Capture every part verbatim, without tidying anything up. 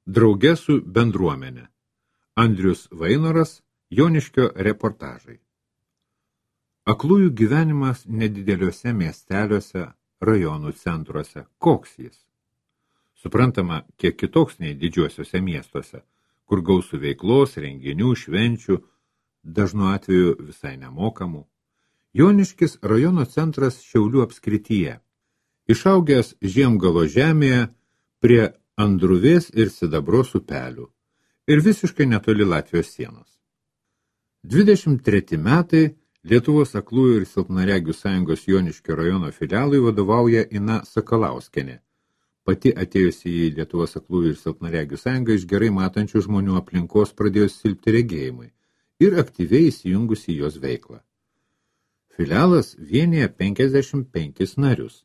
Drauge su bendruomenė. Andrius Vainoras, Joniškio reportažai. Aklųjų gyvenimas nedideliuose miesteliuose, rajonų centruose. Koks jis? Suprantama, kiek kitoks nei didžiuosiuose miestuose, kur gausų veiklos, renginių, švenčių, dažnu atveju visai nemokamų. Joniškis rajono centras Šiaulių apskrityje, išaugęs Žiemgalo žemėje prie Andruvės ir Sidabros upelių ir visiškai netoli Latvijos sienos. dvidešimt treti metai Lietuvos aklųjų ir silpnaregių sąjungos Joniškio rajono filialui vadovauja Ina Sakalauskienė, pati atėjusi į Lietuvos aklųjų ir silpnaregių sąjungą iš gerai matančių žmonių aplinkos pradėjo silpti regėjimai ir aktyviai įsijungusi į jos veiklą. Filialas vienija penkiasdešimt penkis narius,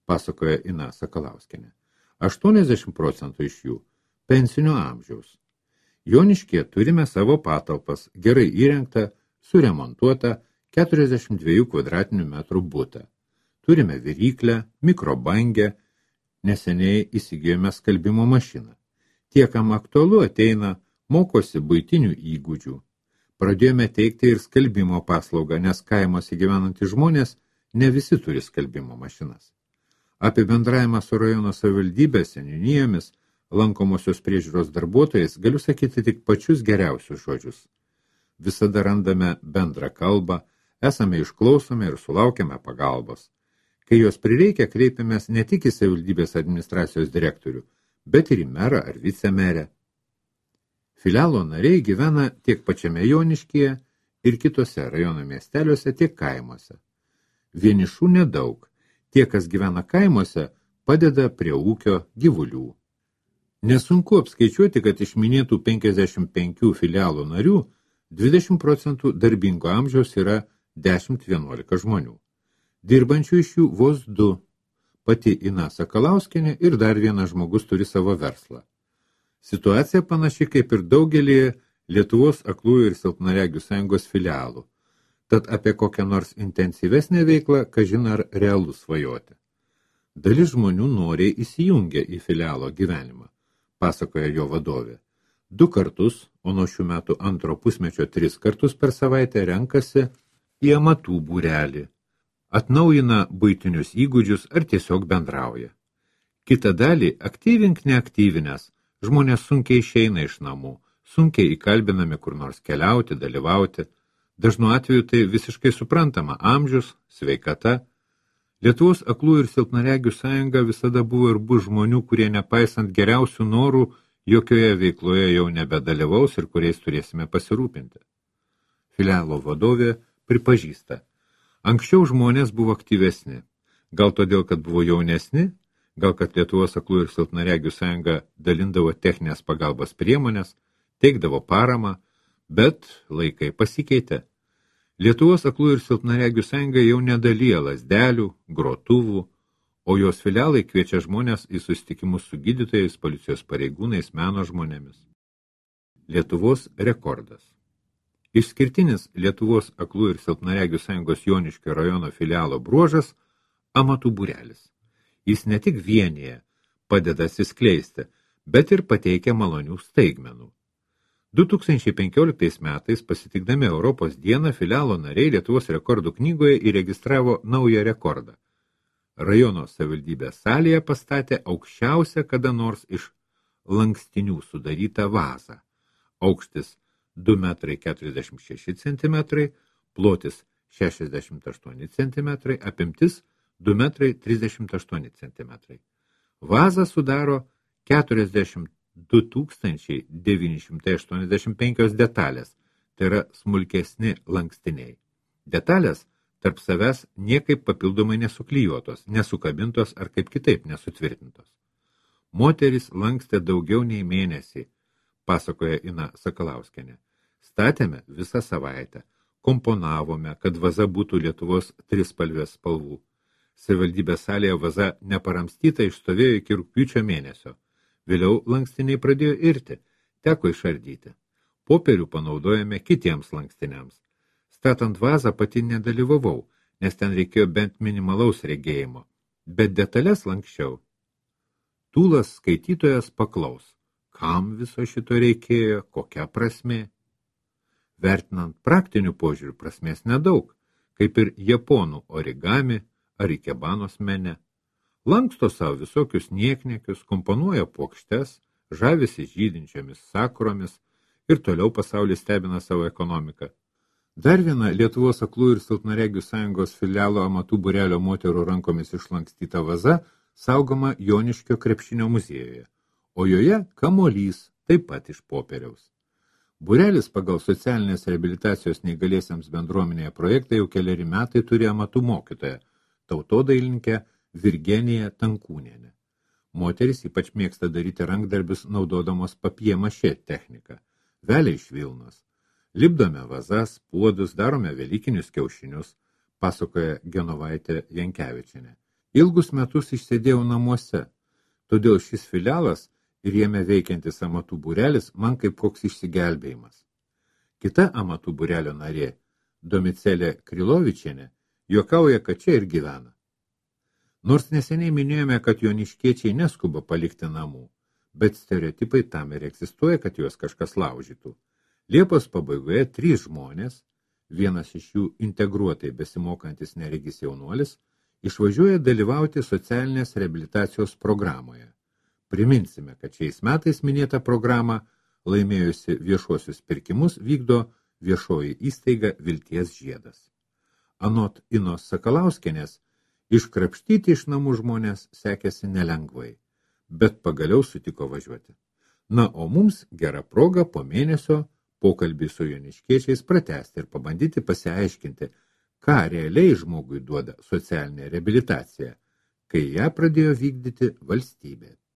pasakoja Ina Sakalauskienė. aštuoniasdešimt procentų iš jų pensinio amžiaus. Joniškyje turime savo patalpas, gerai įrengtą, suremontuotą keturiasdešimt dviejų kvadratinių metrų butą. Turime viryklę, mikrobangę, neseniai įsigijome skalbimo mašiną. Tie, kam aktualu, ateina, mokosi buitinių įgūdžių. Pradėjome teikti ir skalbimo paslaugą, nes kaimuose gyvenantys žmonės ne visi turi skalbimo mašinas. Apie bendravimą su rajono savivaldybės seniūnijomis, lankomosios priežiūros darbuotojais, galiu sakyti tik pačius geriausius žodžius. Visada randame bendrą kalbą, esame išklausomi ir sulaukiame pagalbos. Kai jos prireikia, kreipiamės ne tik į savivaldybės administracijos direktorių, bet ir į merą ar vicemerę. Filialo nariai gyvena tiek pačiame Joniškyje ir kitose rajono miesteliuose, tiek kaimuose. Vienišų nedaug. Tie, kas gyvena kaimuose, padeda prie ūkio gyvulių. Nesunku apskaičiuoti, kad iš minėtų penkiasdešimt penkių filialo narių dvidešimt procentų darbingo amžiaus yra dešimt vienuolika žmonių. Dirbančių iš jų vos du. Pati Ina Sakalauskienė ir dar vienas žmogus turi savo verslą. Situacija panaši kaip ir daugelį Lietuvos aklųjų ir silpnaregių sąjungos filialų. Tad apie kokią nors intensyvesnę veiklą, kažin ar realu svajoti. Dalis žmonių noriai įsijungia į filialo gyvenimą, pasakoja jo vadovė. Du kartus, o nuo šių metų antro pusmečio tris kartus per savaitę renkasi į amatų būrelį, atnaujina buitinius įgūdžius ar tiesiog bendrauja. Kita dalį aktyvink neaktyvinės, žmonės sunkiai išeina iš namų, sunkiai įkalbinami kur nors keliauti, dalyvauti. Dažnu atveju tai visiškai suprantama amžius, sveikata. Lietuvos aklųjų ir silpnaregių sąjunga visada buvo ir bus žmonių, kurie nepaisant geriausių norų, jokioje veikloje jau nebedalyvaus ir kuriais turėsime pasirūpinti. Filialo vadovė pripažįsta. Anksčiau žmonės buvo aktyvesni. Gal todėl, kad buvo jaunesni, gal kad Lietuvos aklųjų ir silpnaregių sąjunga dalindavo techninės pagalbos priemonės, teikdavo paramą, bet laikai pasikeitė. Lietuvos aklųjų ir silpnaregių sąjunga jau nedalyja lazdelių, grotuvų, o jos filialai kviečia žmonės į susitikimus su gydytojais, policijos pareigūnais, meno žmonėmis. Lietuvos rekordas. Išskirtinis Lietuvos aklųjų ir silpnaregių sąjungos Joniškio rajono filialo bruožas – amatų būrelis. Jis ne tik vienyje padeda atsiskleisti, bet ir pateikia malonių staigmenų. du tūkstančiai penkioliktais metais pasitikdami Europos dieną filialo nariai Lietuvos rekordų knygoje įregistravo naują rekordą. Rajono savivaldybės salėje pastatė aukščiausią kada nors iš lankstinių sudarytą vazą. Aukštis du metrai keturiasdešimt šeši centimetrai, plotis šešiasdešimt aštuoni centimetrai, apimtis du metrai trisdešimt aštuoni centimetrai. Vazą sudaro keturiasdešimt du tūkstančiai devyni šimtai aštuoniasdešimt penkios detalės, tai yra smulkesni lankstiniai. Detalės tarp savęs niekaip papildomai nesuklijuotos, nesukabintos ar kaip kitaip nesutvirtintos. Moteris lankstė daugiau nei mėnesį, pasakoja Ina Sakalauskienė. Statėme visą savaitę, komponavome, kad vaza būtų Lietuvos trispalvės spalvų. Savivaldybės salėje vaza neparamstyta išstovėjo iki rugpjūčio mėnesio. Vėliau lankstiniai pradėjo irti, teko išardyti. Popierių panaudojame kitiems lankstiniams. Statant vazą pati nedalyvavau, nes ten reikėjo bent minimalaus regėjimo, bet detalės lankščiau. Tūlas skaitytojas paklaus, kam viso šito reikėjo, kokia prasmė. Vertinant praktinių požiūrių prasmės nedaug, kaip ir japonų origami ar ikebanos mene. Lanksto savo visokius niekniekius, komponuoja puokštes, žavisi žydinčiomis sakuromis ir toliau pasaulis stebina savo ekonomiką. Dar viena Lietuvos aklųjų ir silpnaregių sąjungos filialo amatų būrelio moterų rankomis išlankstyta vaza saugoma Joniškio krepšinio muziejuje, o joje kamuolys, taip pat iš popieriaus. Būrelis pagal socialinės reabilitacijos neįgaliesiems bendruomenėje projektą jau keleri metai turi amatų mokytoją, tautodailininkę Virgeniją Tankūnienę. Moteris ypač mėgsta daryti rankdarbius naudodamos papjė-mašė techniką, vėliai iš Vilnos. Lipdome vazas, puodus, darome velykinius kiaušinius, pasakoja Genovaitė Jankevičienė. Ilgus metus išsėdėjau namuose, todėl šis filialas ir jame veikiantis amatų būrelis man kaip koks išsigelbėjimas. Kita amatų būrelio narė, Domicelė Krilovičienė, juokauja, kad čia ir gyvena. Nors neseniai minėjome, kad joniškiečiai neskuba palikti namų, bet stereotipai tam ir egzistuoja, kad juos kažkas laužytų. Liepos pabaigoje trys žmonės, vienas iš jų integruotai besimokantis neregis jaunuolis, išvažiuoja dalyvauti socialinės reabilitacijos programoje. Priminsime, kad šiais metais minėtą programą laimėjusi viešuosius pirkimus vykdo viešoji įstaiga Vilties žiedas. Anot Inos Sakalauskienės, iškrapštyti iš namų žmonės sekėsi nelengvai, bet pagaliau sutiko važiuoti. Na, o mums gera proga po mėnesio pokalbį su joniškiečiais pratęsti ir pabandyti pasiaiškinti, ką realiai žmogui duoda socialinė reabilitacija, kai ją pradėjo vykdyti valstybė.